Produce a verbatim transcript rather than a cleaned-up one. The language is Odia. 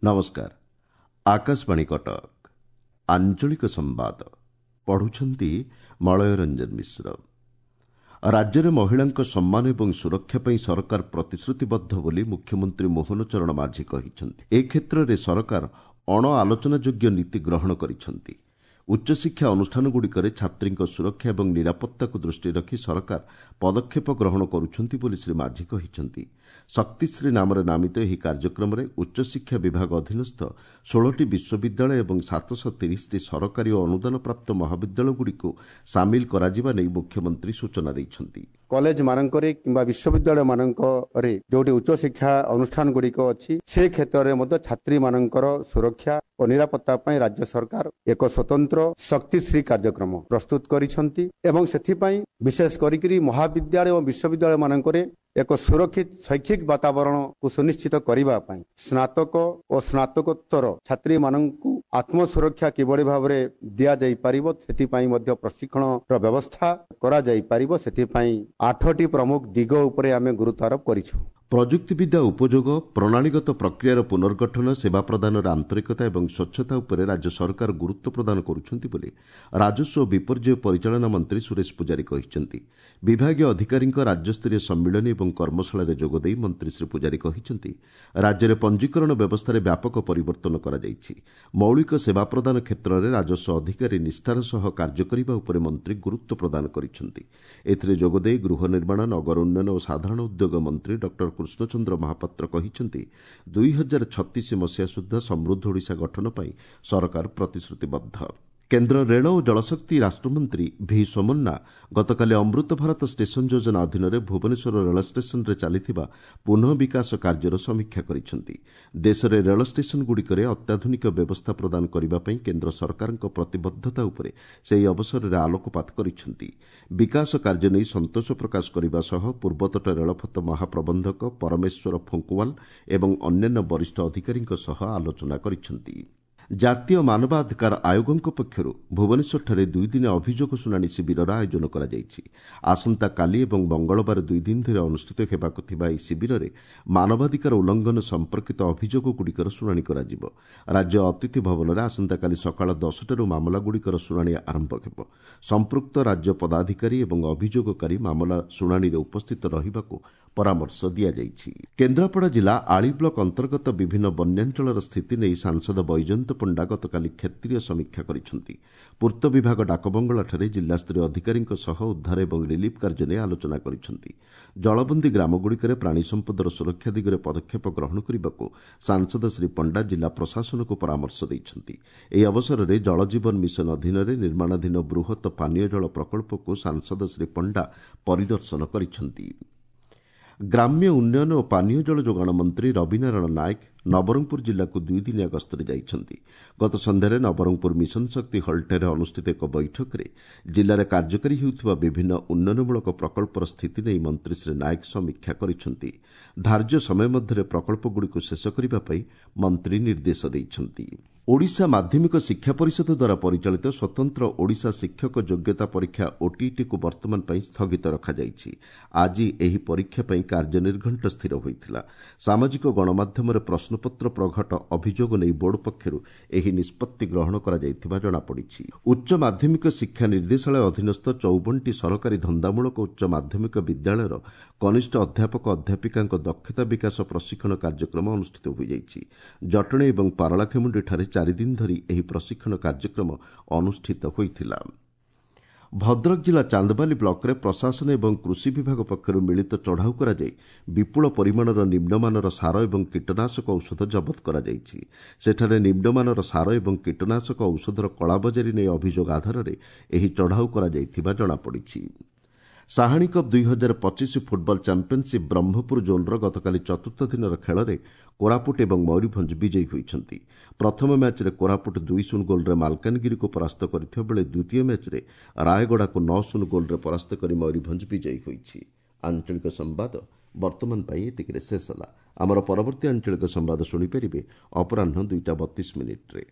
ନମସ୍କାର, ଆକାଶବାଣୀ କଟକ। ଆଞ୍ଚଳିକ ସମ୍ବାଦ ପଢୁଛନ୍ତି ମଳୟ ରଞ୍ଜନ ମିଶ୍ର। ରାଜ୍ୟରେ ମହିଳାଙ୍କ ସମ୍ମାନ ଏବଂ ସୁରକ୍ଷା ପାଇଁ ସରକାର ପ୍ରତିଶ୍ରୁତିବଦ୍ଧ ବୋଲି ମୁଖ୍ୟମନ୍ତ୍ରୀ ମୋହନ ଚରଣ ମାଝୀ କହିଛନ୍ତି। ଏ କ୍ଷେତ୍ରରେ ସରକାର ଅଣ ଆଲୋଚନାଯୋଗ୍ୟ ନୀତି ଗ୍ରହଣ କରିଛନ୍ତି। ଉଚ୍ଚଶିକ୍ଷା ଅନୁଷ୍ଠାନଗୁଡ଼ିକରେ ଛାତ୍ରୀଙ୍କ ସୁରକ୍ଷା ଏବଂ ନିରାପତ୍ତାକୁ ଦୃଷ୍ଟିରେ ରଖି ସରକାର ପଦକ୍ଷେପ ଗ୍ରହଣ କରୁଛନ୍ତି ବୋଲି ଶ୍ରୀ ମାଝୀ କହିଛନ୍ତି। ଶକ୍ତିଶ୍ରୀ ନାମରେ ନାମିତ ଏହି କାର୍ଯ୍ୟକ୍ରମରେ ଉଚ୍ଚଶିକ୍ଷା ବିଭାଗ ଅଧୀନସ୍ଥ ଷୋହଳଟି ବିଶ୍ୱବିଦ୍ୟାଳୟ ଏବଂ ସାତଶହ ତିରିଶଟି ସରକାରୀ ଓ ଅନୁଦାନପ୍ରାପ୍ତ ମହାବିଦ୍ୟାଳୟଗୁଡ଼ିକୁ ସାମିଲ କରାଯିବା ନେଇ ମୁଖ୍ୟମନ୍ତ୍ରୀ ସୂଚନା ଦେଇଛନ୍ତି। କଲେଜ ମାନଙ୍କରେ କିମ୍ବା ବିଶ୍ୱବିଦ୍ୟାଳୟ ମାନଙ୍କରେ ଯୋଉଠି ଉଚ୍ଚଶିକ୍ଷା ଅନୁଷ୍ଠାନ ଗୁଡ଼ିକ ଅଛି, ସେ କ୍ଷେତ୍ରରେ ମଧ୍ୟ ଛାତ୍ରୀମାନଙ୍କର ସୁରକ୍ଷା ଓ ନିରାପତ୍ତା ପାଇଁ ରାଜ୍ୟ ସରକାର ଏକ ସ୍ୱତନ୍ତ୍ର ଶକ୍ତିଶ୍ରୀ କାର୍ଯ୍ୟକ୍ରମ ପ୍ରସ୍ତୁତ କରିଛନ୍ତି ଏବଂ ସେଥିପାଇଁ ବିଶେଷ କରିକିରି ମହାବିଦ୍ୟାଳୟ ଓ ବିଶ୍ୱବିଦ୍ୟାଳୟ ମାନଙ୍କରେ ଏକ ସୁରକ୍ଷିତ ଶୈକ୍ଷିକ ବାତାବରଣକୁ ସୁନିଶ୍ଚିତ କରିବା ପାଇଁ ସ୍ନାତକ ଓ ସ୍ନାତକୋତ୍ତର ଛାତ୍ରୀମାନଙ୍କୁ ଆତ୍ମସୁରକ୍ଷା କିଭଳି ଭାବରେ ଦିଆଯାଇପାରିବ, ସେଥିପାଇଁ ମଧ୍ୟ ପ୍ରଶିକ୍ଷଣର ବ୍ୟବସ୍ଥା କରାଯାଇପାରିବ। ସେଥିପାଇଁ ଆଠଟି ପ୍ରମୁଖ ଦିଗ ଉପରେ ଆମେ ଗୁରୁତ୍ୱ ଆରୋପ କରିଛୁ। ପ୍ରଯୁକ୍ତିବିଦ୍ୟା ଉପଯୋଗ, ପ୍ରଣାଳୀଗତ ପ୍ରକ୍ରିୟାର ପୁନର୍ଗଠନ, ସେବା ପ୍ରଦାନର ଆନ୍ତରିକତା ଏବଂ ସ୍ୱଚ୍ଛତା ଉପରେ ରାଜ୍ୟ ସରକାର ଗୁରୁତ୍ୱ ପ୍ରଦାନ କରୁଛନ୍ତି ବୋଲି ରାଜସ୍ୱ ଓ ବିପର୍ଯ୍ୟୟ ପରିଚାଳନା ମନ୍ତ୍ରୀ ସୁରେଶ ପୂଜାରୀ କହିଛନ୍ତି। ବିଭାଗୀୟ ଅଧିକାରୀଙ୍କ ରାଜ୍ୟସ୍ତରୀୟ ସମ୍ମିଳନୀ ଏବଂ କର୍ମଶାଳାରେ ଯୋଗଦେଇ ମନ୍ତ୍ରୀ ଶ୍ରୀ ପୂଜାରୀ କହିଛନ୍ତି, ରାଜ୍ୟରେ ପଞ୍ଜୀକରଣ ବ୍ୟବସ୍ଥାରେ ବ୍ୟାପକ ପରିବର୍ତ୍ତନ କରାଯାଇଛି। ମୌଳିକ ସେବା ପ୍ରଦାନ କ୍ଷେତ୍ରରେ ରାଜସ୍ୱ ଅଧିକାରୀ ନିଷ୍ଠାର ସହ କାର୍ଯ୍ୟ କରିବା ଉପରେ ମନ୍ତ୍ରୀ ଗୁରୁତ୍ୱ ପ୍ରଦାନ କରିଛନ୍ତି। ଏଥିରେ ଯୋଗଦେଇ ଗୃହ ନିର୍ମାଣ, ନଗର ଉନ୍ନୟନ ଓ ସାଧାରଣ ଉଦ୍ୟୋଗ ମନ୍ତ୍ରୀ ଡକ୍ଟର କୃଷ୍ଣଚନ୍ଦ୍ର ମହାପାତ୍ର କହିଛନ୍ତି, ଦୁଇ ହଜାର ଛତିଶ ମସିହା ସୁଦ୍ଧା ସମୃଦ୍ଧ ଓଡ଼ିଶା ଗଠନ ପାଇଁ ସରକାର ପ୍ରତିଶ୍ରୁତିବଦ୍ଧ। କେନ୍ଦ୍ର ରେଳ ଓ ଜଳଶକ୍ତି ରାଷ୍ଟ୍ରମନ୍ତ୍ରୀ ଭି ସୋମନ୍ନା ଗତକାଲି ଅମୃତ ଭାରତ ଷ୍ଟେସନ ଯୋଜନା ଅଧୀନରେ ଭୁବନେଶ୍ୱର ରେଳ ଷ୍ଟେସନରେ ଚାଲିଥିବା ପୁନଃ ବିକାଶ କାର୍ଯ୍ୟର ସମୀକ୍ଷା କରିଛନ୍ତି। ଦେଶରେ ରେଳ ଷ୍ଟେସନଗୁଡ଼ିକରେ ଅତ୍ୟାଧୁନିକ ବ୍ୟବସ୍ଥା ପ୍ରଦାନ କରିବା ପାଇଁ କେନ୍ଦ୍ର ସରକାରଙ୍କ ପ୍ରତିବଦ୍ଧତା ଉପରେ ସେ ଏହି ଅବସରରେ ଆଲୋକପାତ କରିଛନ୍ତି। ବିକାଶ କାର୍ଯ୍ୟ ନେଇ ସନ୍ତୋଷ ପ୍ରକାଶ କରିବା ସହ ପୂର୍ବତଟ ରେଳପଥ ମହାପ୍ରବନ୍ଧକ ପରମେଶ୍ୱର ଫୁଙ୍କୁୱାଲ ଏବଂ ଅନ୍ୟାନ୍ୟ ବରିଷ୍ଠ ଅଧିକାରୀଙ୍କ ସହ ଆଲୋଚନା କରିଛନ୍ତି। ଜାତୀୟ ମାନବାଧିକାର ଆୟୋଗଙ୍କ ପକ୍ଷରୁ ଭୁବନେଶ୍ୱରଠାରେ ଦୁଇଦିନିଆ ଅଭିଯୋଗ ଶୁଣାଣି ଶିବିରର ଆୟୋଜନ କରାଯାଇଛି। ଆସନ୍ତାକାଲି ଏବଂ ମଙ୍ଗଳବାର ଦୁଇଦିନ ଧରି ଅନୁଷ୍ଠିତ ହେବାକୁ ଥିବା ଏହି ଶିବିରରେ ମାନବାଧିକାର ଉଲ୍ଲଂଘନ ସମ୍ପର୍କିତ ଅଭିଯୋଗଗୁଡ଼ିକର ଶୁଣାଣି କରାଯିବ। ରାଜ୍ୟ ଅତିଥି ଭବନରେ ଆସନ୍ତାକାଲି ସକାଳ ଦଶଟାରୁ ମାମଲାଗୁଡ଼ିକର ଶୁଣାଣି ଆରମ୍ଭ ହେବ। ସମ୍ପୃକ୍ତ ରାଜ୍ୟ ପଦାଧିକାରୀ ଏବଂ ଅଭିଯୋଗକାରୀ ମାମଲା ଶୁଣାଣିରେ ଉପସ୍ଥିତ ରହିବାକୁ ପରାମର୍ଶ ଦିଆଯାଇଛି। କେନ୍ଦ୍ରାପଡ଼ା ଜିଲ୍ଲା ଆଳି ବ୍ଲକ ଅନ୍ତର୍ଗତ ବିଭିନ୍ନ ବନ୍ୟାଞ୍ଚଳର ସ୍ଥିତି ନେଇ ସାଂସଦ ବୈଜୟନ୍ତ ପଣ୍ଡା ଗତକାଲି କ୍ଷେତ୍ରୀୟ ସମୀକ୍ଷା କରିଛନ୍ତି। ପୂର୍ତ୍ତ ବିଭାଗ ଡାକବଙ୍ଗଳାଠାରେ ଜିଲ୍ଲାସ୍ତରୀୟ ଅଧିକାରୀଙ୍କ ସହ ଉଦ୍ଧାର ଏବଂ ରିଲିଫ୍ କାର୍ଯ୍ୟ ନେଇ ଆଲୋଚନା କରିଛନ୍ତି। ଜଳବନ୍ଦୀ ଗ୍ରାମଗୁଡ଼ିକରେ ପ୍ରାଣୀ ସମ୍ପଦର ସୁରକ୍ଷା ଦିଗରେ ପଦକ୍ଷେପ ଗ୍ରହଣ କରିବାକୁ ସାଂସଦ ଶ୍ରୀ ପଣ୍ଡା ଜିଲ୍ଲା ପ୍ରଶାସନକୁ ପରାମର୍ଶ ଦେଇଛନ୍ତି। ଏହି ଅବସରରେ ଜଳଜୀବନ ମିଶନ ଅଧୀନରେ ନିର୍ମାଣାଧୀନ ବୃହତ ପାନୀୟ ଜଳ ପ୍ରକଳ୍ପକୁ ସାଂସଦ ଶ୍ରୀ ପଣ୍ଡା ପରିଦର୍ଶନ କରିଛନ୍ତି। ଗ୍ରାମ୍ୟ ଉନ୍ନୟନ ଓ ପାନୀୟ ଜଳ ଯୋଗାଣ ମନ୍ତ୍ରୀ ରବିନାରାୟଣ ନାୟକ ନବରଙ୍ଗପୁର ଜିଲ୍ଲାକୁ ଦୁଇଦିନିଆ ଗସ୍ତରେ ଯାଇଛନ୍ତି। ଗତ ସନ୍ଧ୍ୟାରେ ନବରଙ୍ଗପୁର ମିଶନ ଶକ୍ତି ହଲ୍ଠାରେ ଅନୁଷ୍ଠିତ ଏକ ବୈଠକରେ ଜିଲ୍ଲାରେ କାର୍ଯ୍ୟକାରୀ ହେଉଥିବା ବିଭିନ୍ନ ଉନ୍ନୟନମୂଳକ ପ୍ରକଳ୍ପର ସ୍ଥିତି ନେଇ ମନ୍ତ୍ରୀ ଶ୍ରୀ ନାୟକ ସମୀକ୍ଷା କରିଛନ୍ତି। ଧାର୍ଯ୍ୟ ସମୟ ମଧ୍ୟରେ ପ୍ରକଳ୍ପଗୁଡ଼ିକୁ ଶେଷ କରିବା ପାଇଁ ମନ୍ତ୍ରୀ ନିର୍ଦ୍ଦେଶ ଦେଇଛନ୍ତି। ଓଡ଼ିଶା ମାଧ୍ୟମିକ ଶିକ୍ଷା ପରିଷଦ ଦ୍ୱାରା ପରିଚାଳିତ ସ୍ୱତନ୍ତ୍ର ଓଡ଼ିଶା ଶିକ୍ଷକ ଯୋଗ୍ୟତା ପରୀକ୍ଷା ଓଟିଇଟିକୁ ବର୍ତ୍ତମାନ ପାଇଁ ସ୍ଥଗିତ ରଖାଯାଇଛି। ଆଜି ଏହି ପରୀକ୍ଷା ପାଇଁ କାର୍ଯ୍ୟନିର୍ଘଣ୍ଟ ସ୍ଥିର ହୋଇଥିଲା। ସାମାଜିକ ଗଣମାଧ୍ୟମରେ ପ୍ରଶ୍ନପତ୍ର ପ୍ରଘଟ ଅଭିଯୋଗ ନେଇ ବୋର୍ଡ ପକ୍ଷରୁ ଏହି ନିଷ୍ପତ୍ତି ଗ୍ରହଣ କରାଯାଇଥିବା ଜଣାପଡ଼ିଛି। ଉଚ୍ଚ ମାଧ୍ୟମିକ ଶିକ୍ଷା ନିର୍ଦ୍ଦେଶାଳୟ ଅଧୀନସ୍ଥ ଚଉବନଟି ସରକାରୀ ଧନ୍ଦାମୂଳକ ଉଚ୍ଚ ମାଧ୍ୟମିକ ବିଦ୍ୟାଳୟର କନିଷ୍ଠ ଅଧ୍ୟାପକ ଅଧ୍ୟାପିକାଙ୍କ ଦକ୍ଷତା ବିକାଶ ପ୍ରଶିକ୍ଷଣ କାର୍ଯ୍ୟକ୍ରମ ଅନୁଷ୍ଠିତ ହୋଇଯାଇଛି। ଜଟଣୀ ଏବଂ ପାରଳାଖେମୁଣ୍ଡିଠାରେ ଚାରିଦିନ ଧରି ଏହି ପ୍ରଶିକ୍ଷଣ କାର୍ଯ୍ୟକ୍ରମ ଅନୁଷ୍ଠିତ ହୋଇଥିଲା। ଭଦ୍ରକ ଜିଲ୍ଲା ଚାନ୍ଦବାଲି ବ୍ଲକରେ ପ୍ରଶାସନ ଏବଂ କୃଷି ବିଭାଗ ପକ୍ଷରୁ ମିଳିତ ଚଢ଼ାଉ କରାଯାଇ ବିପୁଳ ପରିମାଣର ନିମ୍ନମାନର ସାର ଏବଂ କୀଟନାଶକ ଔଷଧ ଜବତ କରାଯାଇଛି। ସେଠାରେ ନିମ୍ନମାନର ସାର ଏବଂ କୀଟନାଶକ ଔଷଧର କଳାବଜାରୀ ନେଇ ଅଭିଯୋଗ ଆଧାରରେ ଏହି ଚଢ଼ାଉ କରାଯାଇଥିବା ଜଣାପଡ଼ିଛି। ସାହାଣୀ କପ୍ ଦୁଇ ହଜାର ପଚିଶ ଫୁଟବଲ ଚାମ୍ପିୟନସିପ୍ ବ୍ରହ୍ମପୁର ଜୋନ୍ର ଗତକାଲି ଚତୁର୍ଥ ଦିନର ଖେଳରେ କୋରାପୁଟ ଏବଂ ମୟୂରଭଞ୍ଜ ବିଜୟୀ ହୋଇଛନ୍ତି। ପ୍ରଥମ ମ୍ୟାଚ୍ରେ କୋରାପୁଟ ଦୁଇ ଶୂନ ଗୋଲ୍ରେ ମାଲକାନଗିରିକୁ ପରାସ୍ତ କରିଥିବା ବେଳେ ଦ୍ୱିତୀୟ ମ୍ୟାଚ୍ରେ ରାୟଗଡ଼ାକୁ ନଅ ଶୂନ ଗୋଲ୍ରେ ପରାସ୍ତ କରି ମୟୂରଭଞ୍ଜ ବିଜୟୀ ହୋଇଛି। ଆଞ୍ଚଳିକ ସମ୍ବାଦ ବର୍ତ୍ତମାନ ପାଇଁ ଏତିକିରେ ଶେଷ ହେଲା। ଆମର ପରବର୍ତ୍ତୀ ଆଞ୍ଚଳିକ ସମ୍ବାଦ ଶୁଣିପାରିବେ ଅପରାହ୍ନ ଦୁଇଟା ବତିଶ ମିନିଟ୍ରେ।